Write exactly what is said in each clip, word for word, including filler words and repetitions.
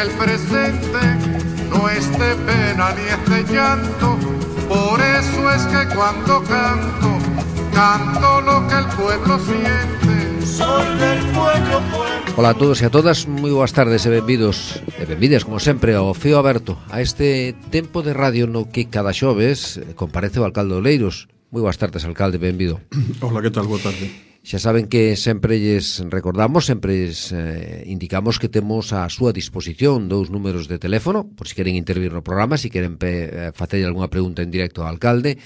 el presente no es de pena ni es de llanto. Por eso es que cuando canto, canto lo que el pueblo siente. Soy del pueblo, pueblo. Ola a todos e a todas, moi boas tardes e benvidos e benvidas, como sempre, ao Fío Aberto, a este tempo de radio no que cada xoves comparece o alcalde de Oleiros. Moi boas tardes, alcalde, benvido. Hola, que tal? Boa tarde. Xa saben que sempre lles recordamos, sempre lles eh, indicamos que temos a súa disposición dous números de teléfono, por se queren intervir no programa, se queren pe, eh, facer algunha pregunta en directo ao alcalde.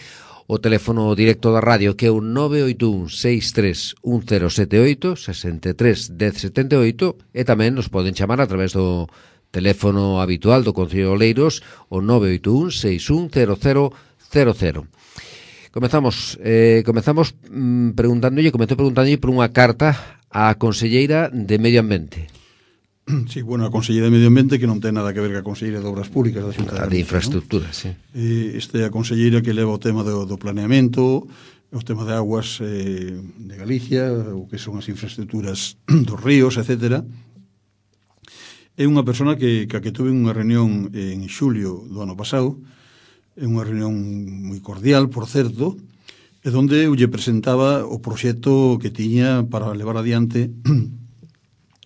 O teléfono directo da radio que é o nove oito un seis tres un cero sete oito, sesenta e tres dez setenta e oito, e tamén nos poden chamar a través do teléfono habitual do Concello de Oleiros, o nove oito un seis un cero cero cero cero. Comezamos, eh, comezamos mm, preguntándolle, comezou preguntándolle por unha carta á Conselleira de Medio Ambiente. Sí, bueno, a Conselleira de Medio Ambiente, que non ten nada que ver ca Conselleira de Obras Públicas da Xunta de Galicia, de Infraestructuras, ¿no? Sí. Eh, este é a Conselleira que leva o tema do, do planeamento, o tema de aguas eh, de Galicia, o que son as infraestructuras dos ríos, etcétera. É unha persona que, que, que tuve unha reunión en xulio do ano pasado, é unha reunión moi cordial, por certo, e onde eu lle presentaba o proxecto que tiña para levar adiante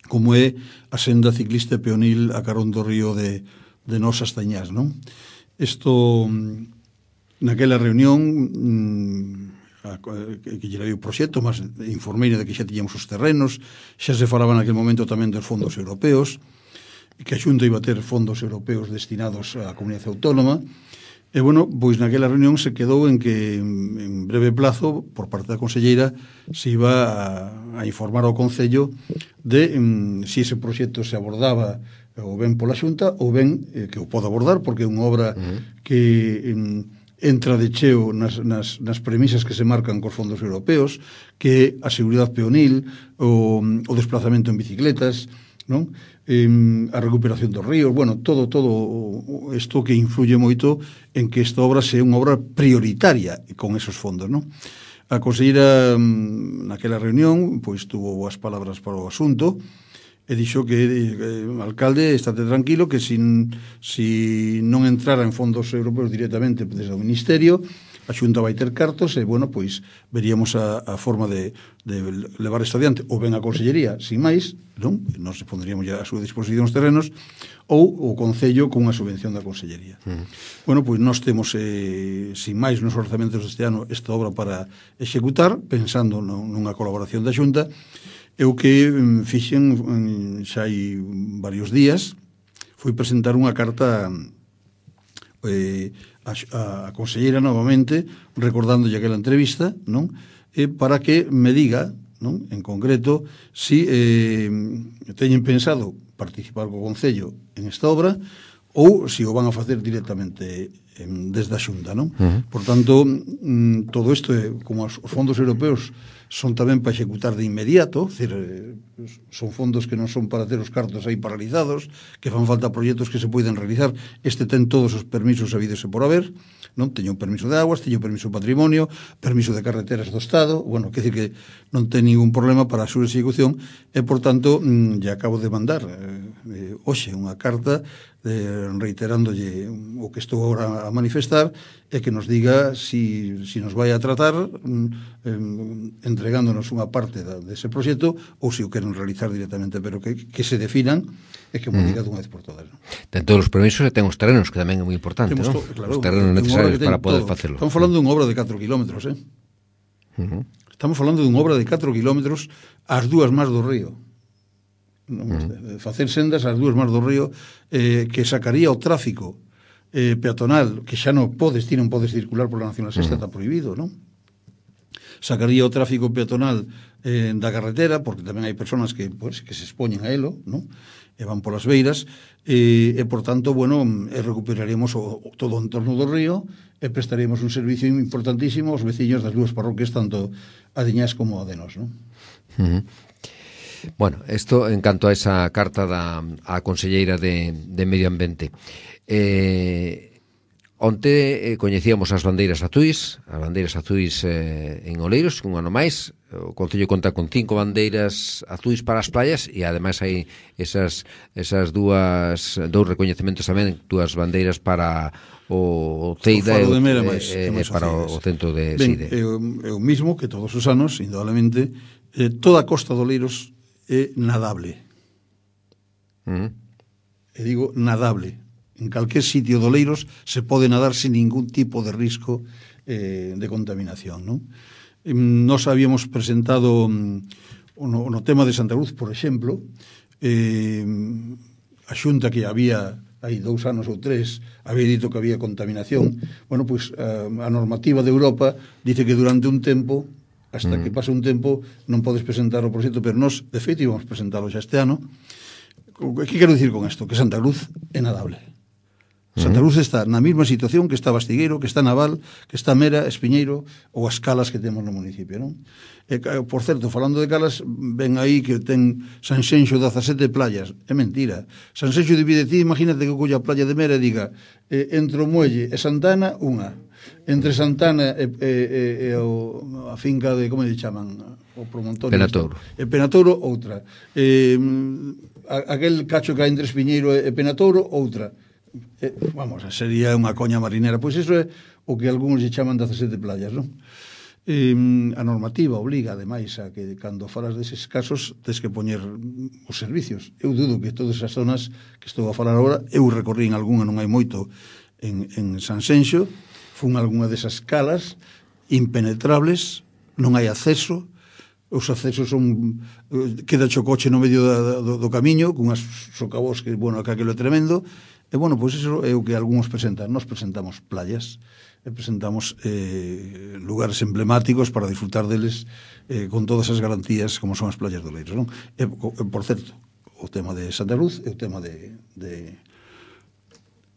como é a senda ciclista peonil a carón do río de, de Nosas Tañás, non? Isto, naquela reunión, a, que lle dei o proxecto, mas informei de que xa tiñamos os terrenos, xa se falaba naquele momento tamén dos fondos europeos, que a Xunta iba a ter fondos europeos destinados á comunidade autónoma. E, bueno, pois naquela reunión se quedou en que en breve plazo, por parte da Conselleira, se iba a, a informar ao Concello de um, si ese proxecto se abordaba ou ben pola Xunta ou ben eh, que o pode abordar, porque é unha obra uh-huh. que um, entra de cheo nas, nas, nas premisas que se marcan cos fondos europeos, que a seguridade peonil, o, o desplazamento en bicicletas, non? Eh, a recuperación dos ríos, bueno, todo todo isto que influye moito en que esta obra sea unha obra prioritaria con esos fondos, non? A conselleira naquela reunión pois tuvo boas palabras para o asunto e dixo que eh, alcalde, estate tranquilo que sin, si non entrara en fondos europeos directamente desde o Ministerio, a Xunta vai ter cartos e, bueno, pois veríamos a, a forma de, de levar isto adiante, ou ben a Consellería, sin máis, non? Nos pondríamos ya a súa disposición os terrenos, ou o Concello con unha subvención da Consellería. Uh-huh. Bueno, pois nós temos, eh, sin máis, nos orzamentos deste ano, esta obra para executar, pensando nunha colaboración da Xunta. Eu que fixen xa hai varios días, fui presentar unha carta eh, a, a conselleira novamente, recordándolle aquela entrevista, non? E para que me diga, non? En concreto, si eh, teñen pensado participar co Concello en esta obra ou si o van a facer directamente en, desde a Xunta, non? Uh-huh. Por tanto, mm, todo isto, é, como os fondos europeos son tamén para executar de inmediato, decir, son fondos que non son para ter os cartos aí paralizados, que fan falta proxectos que se poden realizar. Este ten todos os permisos habidos e por haber, non? Teño un permiso de aguas, teño un permiso de patrimonio, permiso de carreteras do Estado, bueno, que decir que non ten ningún problema para a súa execución e, por tanto, mmm, ya acabo de mandar eh, hoxe unha carta eh, reiterándolle o que estou agora a manifestar e que nos diga si, si nos vai a tratar mm, eh, entregándonos unha parte da, dese proxecto ou se o queren realizar directamente, pero que, que se definan e que mo diga dunha vez por todas, ¿no? Ten todos os permisos e ten os terrenos, que tamén é moi importante, ¿no? Claro, os terrenos necesarios para poder todo. facelo. Estamos falando dunha obra de catro kilómetros, eh? Uh-huh. Estamos falando dunha obra de catro kilómetros ás dúas más do río. Non, uh-huh. Facer sendas ás dúas más do río eh, que sacaría o tráfico eh, peatonal, que xa non podes, ti non podes circular pola Nacional Sexta, uh-huh. está prohibido, non? Sacaría o tráfico peatonal eh, da carretera, porque tamén hai persoas que, pues, que se expoñen a elo, non? E van polas beiras, e, e por tanto, bueno, e recuperaríamos o, o, todo o entorno do río e prestaríamos un servicio importantísimo aos veciños das dúas parroquias, tanto a de Ñás como a de Nos, non? Uh-huh. Bueno, isto en canto a esa carta da a Conselleira de, de Medio Ambiente. Eh, onte eh, coñecíamos as bandeiras azuis, as bandeiras azuis eh, en Oleiros, un ano máis. O Concello conta con cinco bandeiras azuis para as playas e ademais hai esas esas dúas dous recoñecementos tamén, dúas bandeiras para o Ceida e, e, e para o centro de ben, Side. É o mismo que todos os anos, indudablemente, eh, toda a costa de Oleiros é nadable. Uh -huh. E digo nadable. En calquer sitio de Oleiros se pode nadar sin ningún tipo de risco eh, de contaminación, non? Nos habíamos presentado um, no, no tema de Santa Cruz, por exemplo, eh, a xunta que había hai dous anos ou tres había dito que había contaminación. Bueno, pois pues, a, a normativa de Europa dice que durante un tempo, hasta mm. que pase un tempo, non podes presentar o proxecto, pero nós, de feito, íbamos presentalo xa este ano. Que quero dicir con isto? Que Santa Cruz é nadable. Santa Cruz está na mesma situación que está Bastigueiro, que está Naval, que está Mera, Espiñeiro ou as calas que temos no municipio, non? E, por certo, falando de calas, ven aí que ten Sanxenxo dezasete playas. É mentira. Sanxenxo divide ti, imagínate que colla a playa de Mera e diga eh, entre o Muelle e Santana, unha. Entre Santana e, e, e, e o, a finca de, como lle chaman? O promontorio. Penatouro. E Penatouro, outra. Eh, a, aquel cacho que hai entre Espiñeiro e Penatouro, outra. Eh, vamos, sería unha coña marinera. Pois iso é o que algúns lle chaman dezasete playas, non? Eh, a normativa obliga, ademais, a que cando falas deses casos tes que poñer os servicios. Eu dudo que todas as zonas que estou a falar agora, eu recorrí en algunha, non hai moito, en, en Sanxenxo, fun algunha desas calas impenetrables, non hai acceso, os accesos son, queda o coche no medio da, do, do camiño, cunhas socavós que, bueno, que aquilo é tremendo. E, bueno, pois iso é o que algúns presentan. Nos presentamos playas, e presentamos eh, lugares emblemáticos para disfrutar deles eh, con todas as garantías como son as playas do Oleiros, non? E, por certo, o tema de Santa Cruz e o tema de, de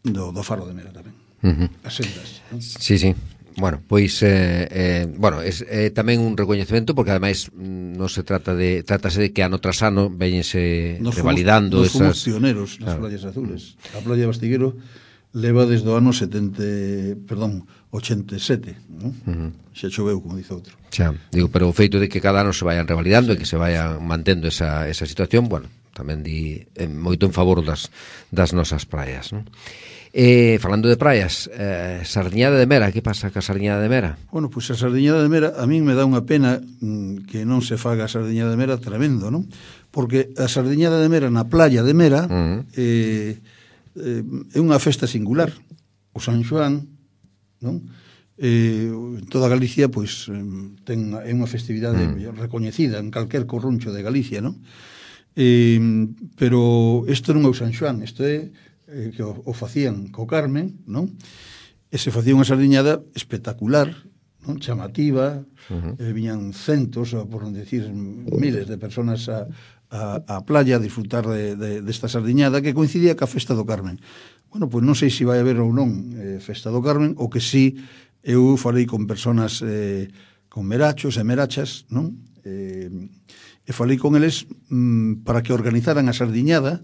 do, do Faro de Mera tamén. Uh -huh. As sendas, non? Sí, sí. Bueno, pois eh, eh, bueno, é eh, tamén un recoñecemento porque ademais non se trata de trátase de que ano tras ano veñense revalidando nos esas. Nos pioneros nas claro. playas azules. A playa de Bastigueiro leva desde o ano setenta, perdón, ochenta e sete, non? Uh -huh. Xa choveu, como dice outro. Xa, digo, pero o feito de que cada ano se vayan revalidando, sí, e que se vayan mantendo esa esa situación, bueno, tamén di eh, moito en favor das das nosas praias, non? Eh, falando de praias, eh, Sardiñada de Mera, que pasa ca Sardiñada de Mera? Bueno, pois pues a Sardiñada de Mera a min me dá unha pena mm, que non se faga a Sardiñada de Mera tremendo, non? Porque a Sardiñada de Mera na playa de Mera uh -huh. eh, eh, é unha festa singular. O San Xoán, non? Eh, en toda Galicia, pois ten, é unha festividade uh -huh. recoñecida en calquer corruncho de Galicia, non? Eh, pero isto non é o San Xoán, isto é eh, que o, o facían co Carmen, non? E se facía unha sardiñada espectacular, non? Chamativa, uh -huh. eh, viñan centos, por non decir miles de personas a, a, a playa a disfrutar de, de, desta sardiñada que coincidía ca festa do Carmen. Bueno, pois non sei se vai haber ou non eh, festa do Carmen, ou que si eu falei con personas eh, con merachos e merachas, non? Eh, e falei con eles mm, para que organizaran a sardiñada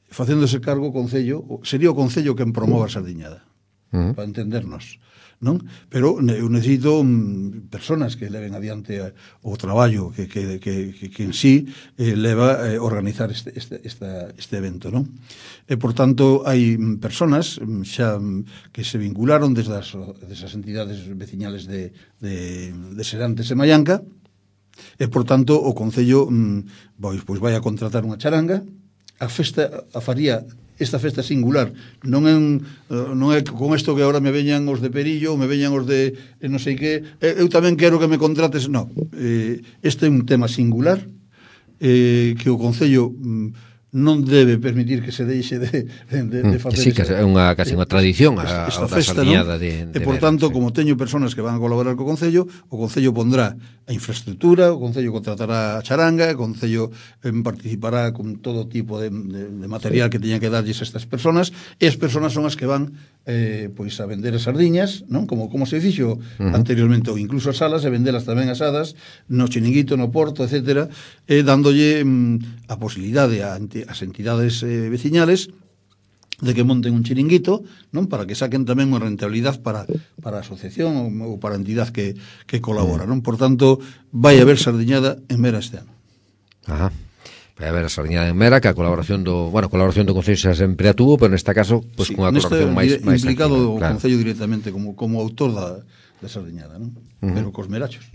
facéndose cargo o Concello, sería o Concello quen promova a sardiñada, uh -huh. para entendernos, non? Pero eu necesito um, personas que leven adiante a, o traballo que, que, que, que, que en sí eh, leva a eh, organizar este, este, esta, este evento, non? E, por tanto, hai personas xa que se vincularon desde as, desde as entidades veciñales de, de, de Serantes e Mallanca, e, por tanto, o Concello mm, pois, pois vai a contratar unha charanga. A festa a faría esta festa singular non é un, non é con isto que agora me veñan os de Perillo ou me veñan os de eh, non sei que, eu tamén quero que me contrates, non, eh, este é un tema singular eh, que o Concello mm, non debe permitir que se deixe de, de, de facer. Sí, que é unha, casi unha tradición a, esta a festa, sardiñada, ¿no? de, de e por Mera, tanto, sí. Como teño personas que van a colaborar co Concello, o Concello pondrá a infraestructura, o Concello contratará a charanga, o Concello eh, participará con todo tipo de, de, de material que teña que darlles a estas personas, e as personas son as que van eh, pois a vender as sardiñas, non? Como, como se fixo uh -huh. anteriormente, ou incluso as salas, e vendelas tamén asadas no chiringuito, no porto, etcétera, e dándolle mm, a posibilidade a, a as entidades eh, veciñales de que monten un chiringuito, non, para que saquen tamén unha rentabilidade para, para a asociación ou, ou para a entidade que, que colabora, non? Por tanto, vai haber sardiñada en Mera este ano. Ajá. Vai haber a sardiñada en Mera, que a colaboración do, bueno, a colaboración do Concello xa sempre a tuvo, pero nesta caso, pois pues, Sí, cunha colaboración máis máis implicado activa, o claro. Concello directamente como como autor da da sardiñada, non? Uh-huh. Pero cos merachos.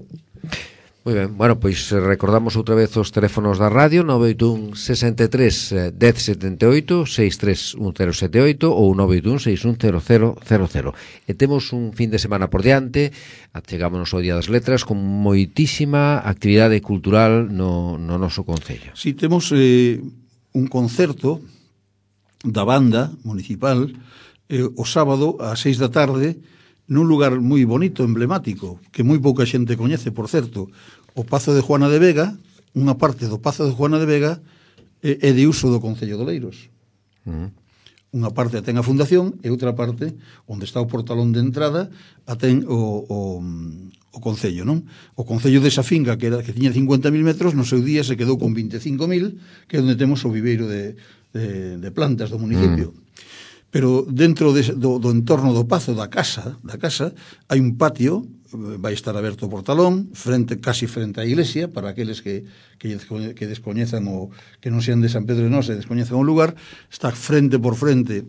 Moi ben, bueno, pois recordamos outra vez os teléfonos da radio nove oito un, sesenta e tres, dez setenta e oito, seis tres un cero sete oito ou nove oito un, seis un cero cero cero cero. E temos un fin de semana por diante, achegámonos ao Día das Letras con moitísima actividade cultural no, no noso concello. Si, temos eh, un concerto da banda municipal eh, o sábado ás seis da tarde nun lugar moi bonito, emblemático, que moi pouca xente coñece, por certo, o Pazo de Juana de Vega. Unha parte do Pazo de Juana de Vega é, é de uso do Concello de Oleiros. Uh-huh. Unha parte a ten a fundación e outra parte, onde está o portalón de entrada, a ten o, o, o Concello, non? O Concello desa finca, que, era, que tiña cincuenta mil metros, no seu día se quedou con vinte e cinco mil, que é onde temos o viveiro de, de, de plantas do municipio. Uh-huh. Pero dentro de, do, do entorno do pazo, da casa, da casa, hai un patio, vai estar aberto o portalón, frente, casi frente á iglesia, para aqueles que, que, que descoñezan o que non sean de San Pedro de Nós e descoñezan o lugar, está frente por frente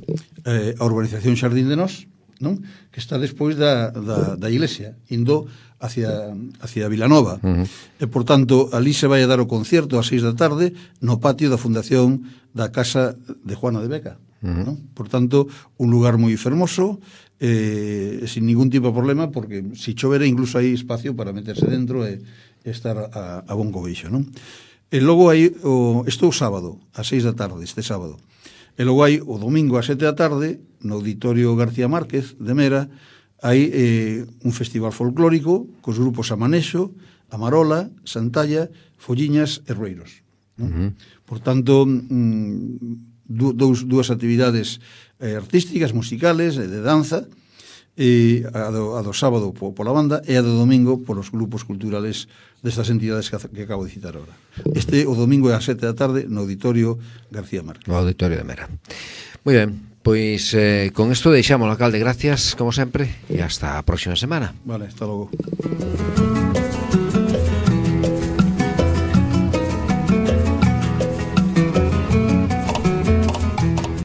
eh, a urbanización Xardín de Nós, non? Que está despois da, da, da iglesia, indo hacia, hacia Vilanova. Uh-huh. E, por tanto, ali se vai a dar o concierto ás seis da tarde no patio da fundación da Casa de Juana de Beca. Uh-huh. ¿No? Por tanto, un lugar moi fermoso, eh, sin ningún tipo de problema, porque si chovera incluso hai espacio para meterse dentro e, e estar a, a bon cobeixo, non? E logo hai o, isto o sábado, ás seis da tarde, este sábado. E logo hai o domingo ás sete da tarde, no Auditorio García Márquez de Mera, hai eh, un festival folclórico cos grupos Amanexo, Amarola, Santalla, Folliñas e Rueiros, non? Uh-huh. Por tanto, mm, Dous, dúas actividades eh, artísticas, musicales, eh, de danza, e a do, a do sábado po, pola banda e a do domingo polos grupos culturales destas entidades que, que acabo de citar agora. Este o domingo é ás sete da tarde no Auditorio García Márquez. No Auditorio de Mera. Moi ben, pois eh, con isto deixamos, alcalde, gracias como sempre e hasta a próxima semana. Vale, hasta logo.